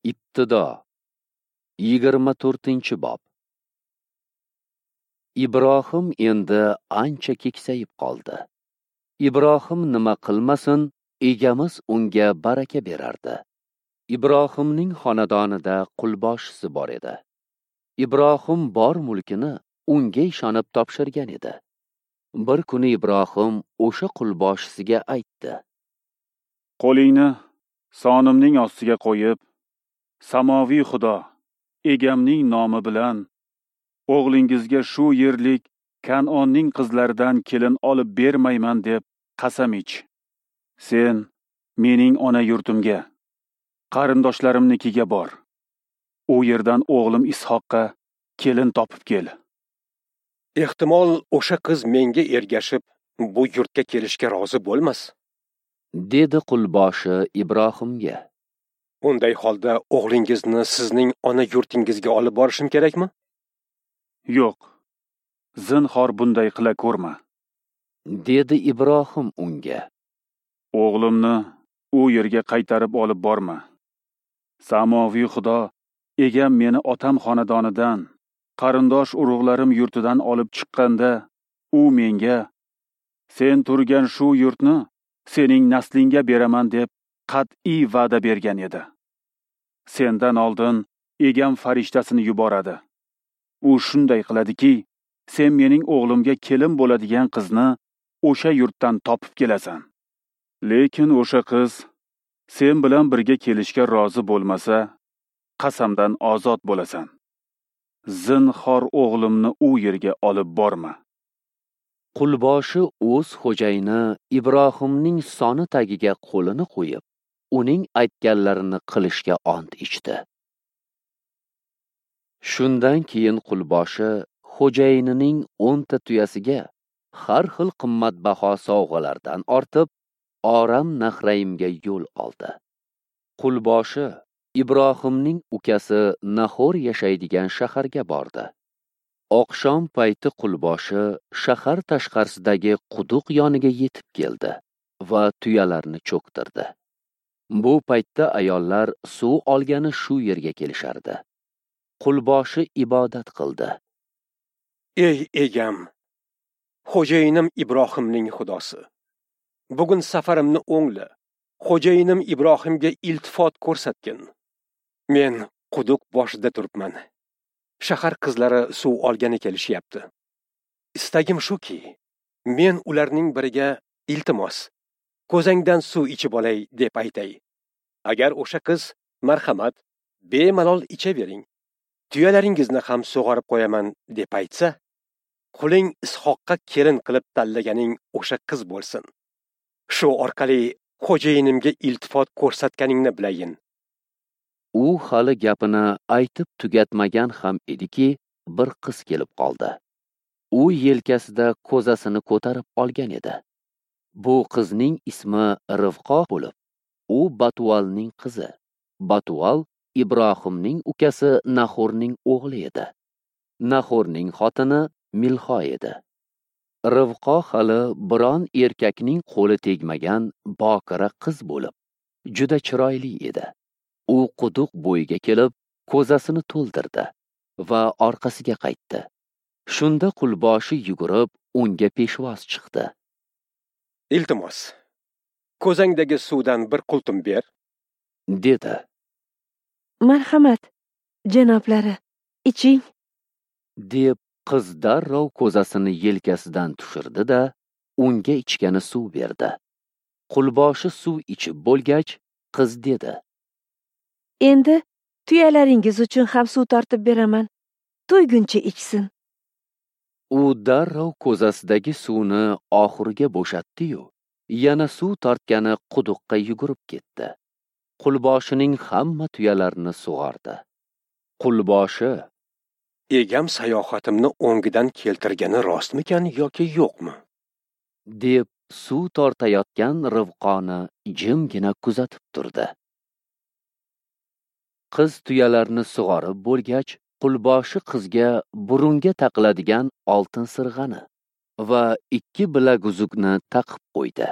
Ibtido 24-bob. Ibrohim endi ancha keksayib qoldi. Ibrohim nima qilmasin, egamiz unga baraka berardi. Ibrohimning xonadonida qulboshisi bor edi. Ibrohim bor mulkini unga ishonib topshirgan edi. Bir kuni Ibrohim o'sha qulboshisiga aytdi: Qo'lingni sonimning ostiga qo'yib, samoviy Xudo egamning nomi bilan o'g'lingizga shu yerlik Kanonning qizlaridan kelin olib bermayman deb qasam ich. Sen mening ona yurtimga, qarindoshlarimnikiga bor. U yerdan o'g'lim Ishoqqa kelin topib kel. Ehtimol o'sha qiz menga ergashib, bu yurtga kelishga rozi bo'lmas, dedi qulboshi Ibrohimga. Unday holda o'g'lingizni sizning ona yurtingizga olib borishim kerakmi? Yo'q. Zinhor bunday qila ko'rma, dedi Ibrohim unga. O'g'limni u yerga qaytarib olib borma. Samoviy Xudo egam meni otam xonadonidan, qarindosh urug'larim yurtidan olib chiqqanda, u menga: "Sen turgan shu yurtni sening naslingga beraman" deb qat'iy va'da bergan edi. Sendan oldin egam farishtasini yuboradi. U shunday qiladiki, sen mening o'g'limga kelin bo'ladigan qizni o'sha yurtdan topib kelasan. Lekin o'sha qiz sen bilan birga kelishga rozi bo'lmasa, qasamdan ozod bo'lasan. Zinhor o'g'limni u yerga olib borma. Qulboshi o'z xo'jayini Ibrohimning soni tagiga qo'lini qo'yib, uning aytganlarini qilishga ont ichdi. Shundan keyin qulboshi xo'jayinining 10 ta tuyasiga har xil qimmatbaho sovg'alardan ortib, Oram Nahraimga yo'l oldi. Qulboshi Ibrohimning ukasi Nahor yashaydigan shaharga bordi. Oqshom payti qulboshi shahar tashqarisidagi quduq yoniga yetib keldi va tuyalarni cho'ktirdi. Bu paytda ayollar suv olgani shu yerga kelishardi. Qulboshi ibodat qildi. Ey egam, xo'jayinim Ibrohimning Xudosi, bugun safarimni o'ngla. Xo'jayinim Ibrohimga iltifot ko'rsatgin. Men quduq boshida turibman. Shahar qizlari suv olgani kelishyapti. Istagim shuki, men ularning biriga iltimos, ko'zangdan suv ichib olay deb aytay. Agar o'sha qiz marhamat, bemalol ichavering, tuyalaringizni ham sug'orib qo'yaman deb aytsa, quling Ishoqqa kelin qilib tanlaganing o'sha qiz bo'lsin. Shu orqali xo'jayinimga iltifot ko'rsatganingni bilayin. U hali gapini aytib tugatmagan ham ediki, bir qiz kelib qoldi. U yelkasida ko'zasini ko'tarib olgan edi. Bu qizning ismi Rivqo bo'lib, u Batualning qizi. Batual Ibrohimning ukasi Nahorning o'g'li edi. Nahorning xotini Milho edi. Rivqo hali biron erkakning qo'li tegmagan bokira qiz bo'lib, juda chiroyli edi. U quduq bo'yiga kelib, ko'zasini to'ldirdi va orqasiga qaytdi. Shunda qulboshi yugurib, unga peshvoz chiqdi. Iltimos, ko'zangdagi suvdan bir qultum ber, dedi. Marhamat, janoblari, iching, deb qiz darrov ko'zasini yelkasidan tushirdi-da, unga ichgani suv berdi. Qulboshi suv ichib bo'lgach, qiz dedi: Endi tuyalaringiz uchun ham suv tortib beraman. To'yguncha ichsin. U darrov ko'zasidagi suvni oxiriga bo'shatdi-yu, yana suv tortgani quduqqa yugurib ketdi. Qulboshining hamma tuyalarini sug'ordi. Qulboshi: Egam sayohatimni o'ngidan keltirgani rostmikan yoki yo'qmi? deb suv tortayotgan Rivqoni jimgina kuzatib turdi. Qiz tuyalarni sug'orib bo'lgach, qulboshi qizga burunga taqiladigan oltin sirg'ani va 2 bilaguzukni taqib qo'ydi.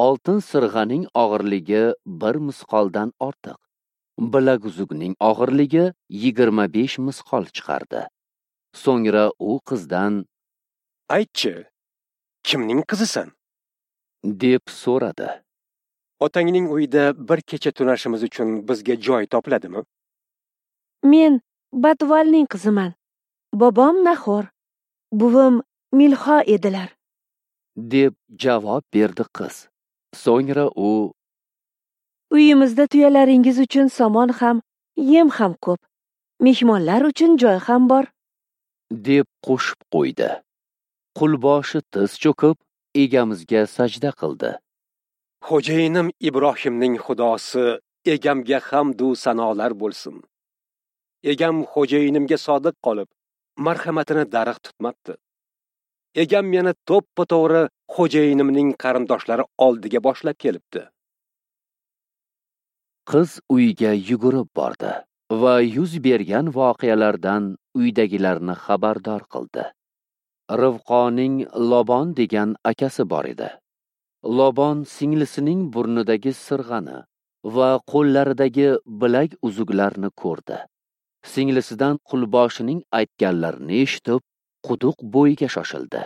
Oltin sirg'aning og'irligi 1 misqoldan ortiq, Bilaguzukning og'irligi 25 misqol chiqardi. So'ngra u qizdan: "Aytchi, kimning qizisan?" deb so'radi. "Otangning uyida bir kecha tunashimiz uchun bizga joy topiladimi?" Men Batvalning qiziman. Bobom Nahor, buvim Milho edilar, deb javob berdi qiz. So'ngra u: "Uyimizda tuyalaringiz uchun somon ham, yem ham ko'p. Mehmonlar uchun joy ham bor", deb qo'shib qo'ydi. Qulboshi tiz cho'kib, egamizga sajda qildi. "Xo'jayinim Ibrohimning Xudosi egamga hamd u sanolar bo'lsin. Egam xo'jayinimga sodiq qolib, marhamatini darig' tutmabdi. Egam meni to'ppa-to'g'ri xo'jayinimning qarindoshlari oldiga boshlab kelibdi." Qiz uyga yugurib bordi va yuz bergan voqealardan uydagilarni xabardor qildi. Rivqoning Lobon degan akasi bor edi. Lobon singlisining burnidagi sirg'ani va qo'llaridagi bilak uzuklarni ko'rdi. Singlisidan qulboshining aytganlarini eshitib, quduq bo'yiga shoshildi.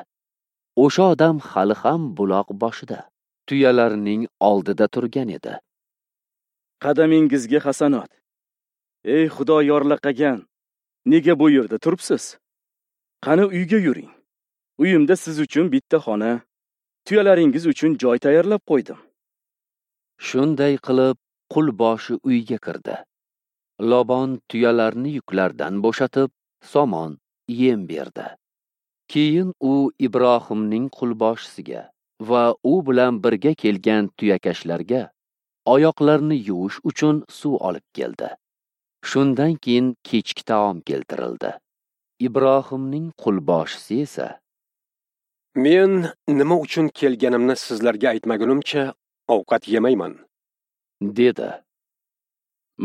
O'sha odam hali ham buloq boshida, tuyalarning oldida turgan edi. "Qadamingizga hasanot. Ey Xudo yorlaqagan, nega bu yerda turibsiz? Qani uyga yuring. Uyimda siz uchun bitta xona, tuyalaringiz uchun joy tayyorlab qo'ydim." Shunday qilib qulboshi uyga kirdi. Lobon tuyalarni yuklardan bo'shatib, somon, yem berdi. Keyin u Ibrohimning qulboshisiga va u bilan birga kelgan tuyakashlarga oyoqlarini yuvish uchun suv olib keldi. Shundan keyin kechki taom keltirildi. Ibrohimning qulboshisi esa: "Men nima uchun kelganimni sizlarga aytmagunimcha ovqat yemayman", dedi.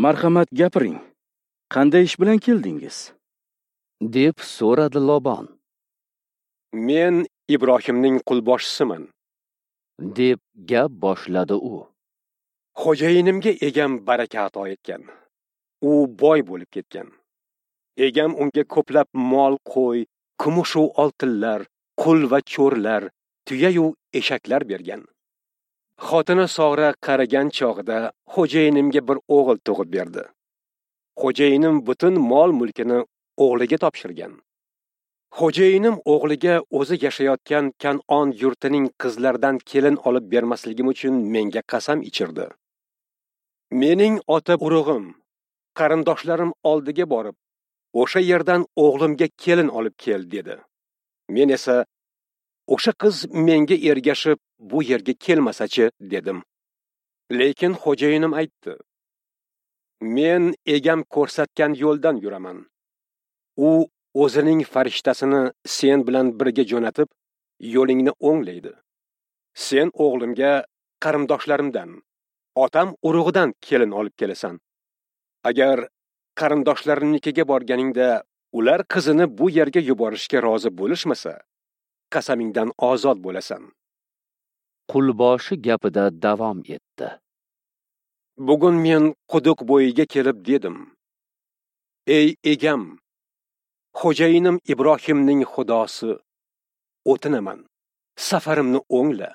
"Marhamat, gapiring. Qanday ish bilan keldingiz?" deb so'radi Lobon. "Men Ibrohimning qulboshisiman", deb gap boshladi u. "Xo'jayinimga egam baraka ato etgan. U boy bo'lib ketgan. Egam unga ko'plab mol, qo'y, kumush va oltinlar, qul va cho'rlar, tuya-yu eshaklar bergan. Xotini Sora qaragan chog'ida xo'jayinimga bir o'g'il tug'ib berdi. Xo'jayinim butun mol-mulkini o'g'liga topshirgan. Xo'jayinim o'g'liga o'zi yashayotgan Kan'on yurtining qizlaridan kelin olib bermasligim uchun menga qasam ichirdi. Mening ota urug'im, qarindoshlarim oldiga borib, o'sha yerdan o'g'limga kelin olib kel dedi. Men esa, o'sha qiz menga ergashib bu yerga kelmasachi dedim. Lekin xo'jayinim aytdi: Men egam ko'rsatgan yo'ldan yuraman. U o'zining farishtasini sen bilan birga jo'natib, yo'lingni o'nglaydi. Sen o'g'limga qarindoshlarimdan, otam urug'idan kelin olib kelasan. Agar qarindoshlarimnikiga borganingda ular qizini bu yerga yuborishga rozi bo'lishmasa, qasamingdan ozod bo'lasan." Qulboshi gapida davom etdi. "Bugun men quduq bo'yiga kelib dedim: Ey egam, xo'jayinim Ibrohimning Xudosi, o'tinaman, safarimni o'ngla.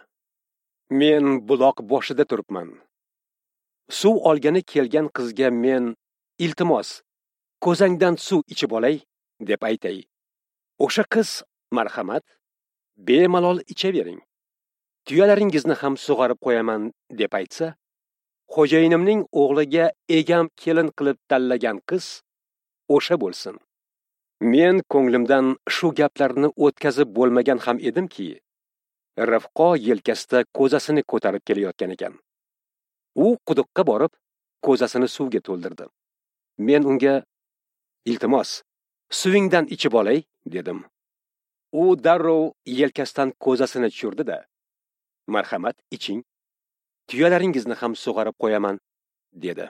Men buloq boshida turibman. Suv olgani kelgan qizga men, iltimos, ko'zangdan suv ichib olay, deb aytay. O'sha qiz, marhamat, bemalol ichavering. Tuyalaringizni ham sug'orib qo'yaman, deb aytsa, xo'jayinimning o'g'liga egam kelin qilib tanlagan qiz o'sha bo'lsin. Men ko'nglimdan shu gaplarni o'tkazib bo'lmagan ham edimki, Rifqo yelkasida ko'zasini ko'tarib kelayotgan ekan. U quduqqa borib, ko'zasini suvga to'ldirdi. Men unga, iltimos, suvingdan ichib olay, dedim. U darrov yelkasidan ko'zasini tushirdi-da, marhamat, iching. Tuyalaringizni ham sug'orib qo'yaman, dedi.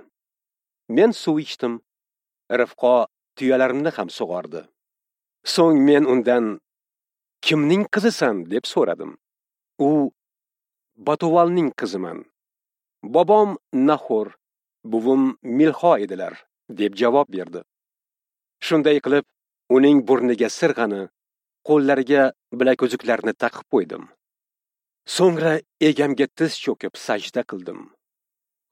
Men suv ichdim. Rifqo tuyalarimni ham sug'ordi. So'ng men undan, kimning qizisan, deb so'radim. U, Batuvalning qiziman. Bobom Nahor, buvim Milho edilar, deb javob berdi. Shunday qilib, uning burniga sirg'ani, qo'llariga bilakuzuklarni taqib qo'ydim. So'ngra egamga tiz cho'kib sajda qildim.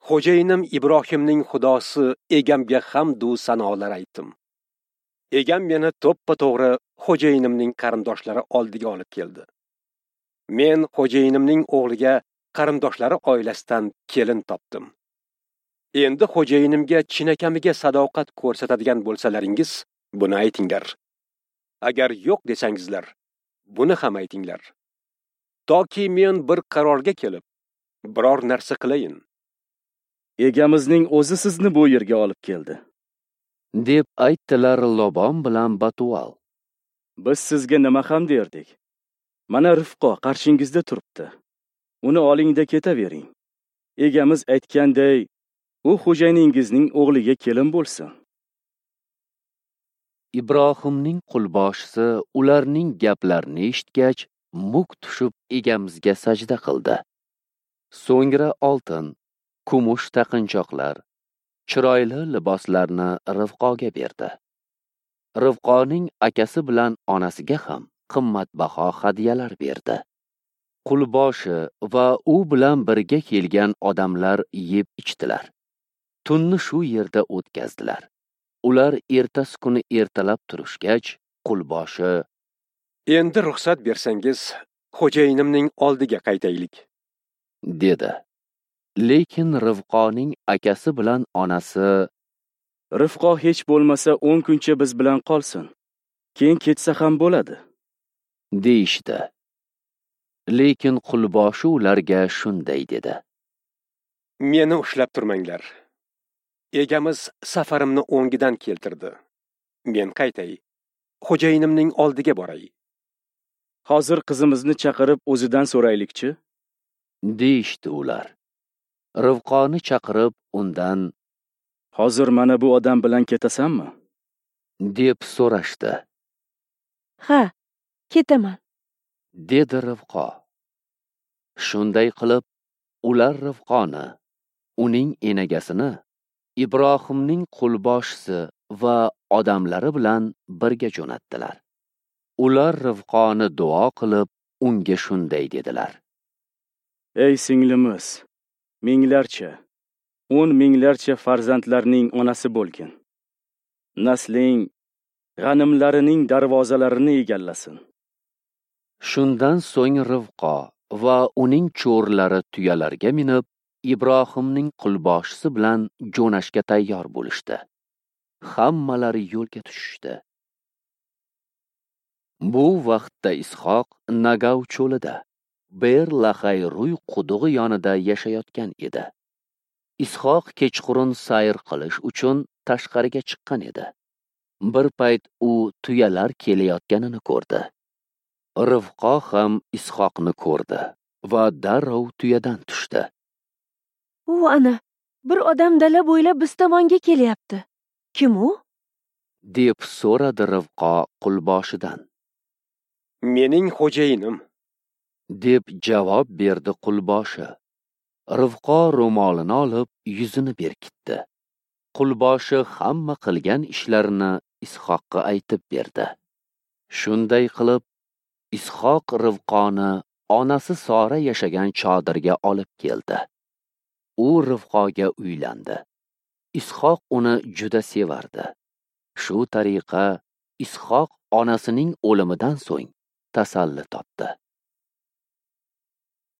Xo'jayinim Ibrohimning xudosi egamga hamd u sanolar aytdim. Egam meni to'ppa-to'g'ri xo'jayinimning qarindoshlari oldiga olib keldi. Men xo'jayinimning o'g'liga qarindoshlari oilasidan kelin topdim. Endi xo'jayinimga chinakamiga sadoqat ko'rsatadigan bo'lsalaringiz, buni aytinglar. Agar yo'q desangizlar, buni ham aytinglar. Toki men bir qarorga kelib, biror narsa qilayin. Egamizning o'zi sizni bu yerga olib keldi, deb aytdilar Lobon bilan Batual. Biz sizga nima ham derdik? Mana Rifqo qarshingizda turibdi. Uni olingda ketavering. Egamiz aytganday, u xo'jayiningizning o'g'liga kelin bo'lsin. Ibrohimning qulboshisi ularning gaplarini eshitgach, muk tushib egamizga sajda qildi. So'ngra oltin, kumush taqinchoqlar, chiroyli liboslarni Rivqoga berdi. Rivqoning akasi bilan onasiga ham qimmatbaho hadyalar berdi. Qulboshi va u bilan birga kelgan odamlar yeb ichdilar. Tunni shu yerda o'tkazdilar. Ular ertasi kuni ertalab turishgach, qulboshi: "Endi ruxsat bersangiz, xo'jayinimning oldiga qaytaylik", dedi. Lekin Rivqoning akasi bilan onasi: "Rivqo hech bo'lmasa 10 kuncha biz bilan qolsin. Keyin ketsa ham bo'ladi", deyishdi. Lekin qulboshi ularga shunday dedi: "Meni ushlab turmanglar. Egamiz safarimni o'ngidan keltirdi. Men qaytay, xo'jayinimning oldiga boray. Hozir qizimizni chaqirib o'zidan so'raylikchi", deyishdi ular. Rivqoni chaqirib undan: "Hozir mana bu odam bilan ketasanmi?" deb so'rashdi. "Ha, ketaman", dedi Rivqo. Shunday qilib, ular Rivqoni, uning enagasini, Ibrohimning qulboshisi va odamlari bilan birga jo'natdilar. Ular Rivqoni duo qilib, unga shunday dedilar: "Ey singlimiz, minglarcha, 10 minglarcha farzandlarning onasi bo'lgin. Nasling g'animlarining darvozalarini egallasin." Shundan so'ng Rivqo va uning cho'rilari tuyalarga minib, Ibrohimning qulboshisi bilan jo'nashga tayyor bo'lishdi. Hammalari yo'lga tushishdi. Bu vaqtda Ishoq Nagav cho'lida, Ber Lahay Ruy qudug'i yonida yashayotgan edi. Ishoq kechqurun sayr qilish uchun tashqariga chiqqan edi. Bir payt u tuyalar kelayotganini ko'rdi. Rivqo ham Ishoqni ko'rdi va darrov tuyadan tushdi. "U ana, bir odam dala bo'ylab biz tomonga kelyapti. Kim u?" deb so'radi Rivqo qulboshidan. "Mening xo'jayinim", deb javob berdi qulboshi. Rivqo ro'molini olib yuzini berkitdi. Qulboshi hamma qilgan ishlarini Ishoqqa aytib berdi. Shunday qilib, Ishoq Rivqoni onasi Sora yashagan chodirga olib keldi. U Rivqoga uylandi. Ishoq uni juda sevardi. Shu tariqa Ishoq onasining o'limidan so'ng tasalli topdi.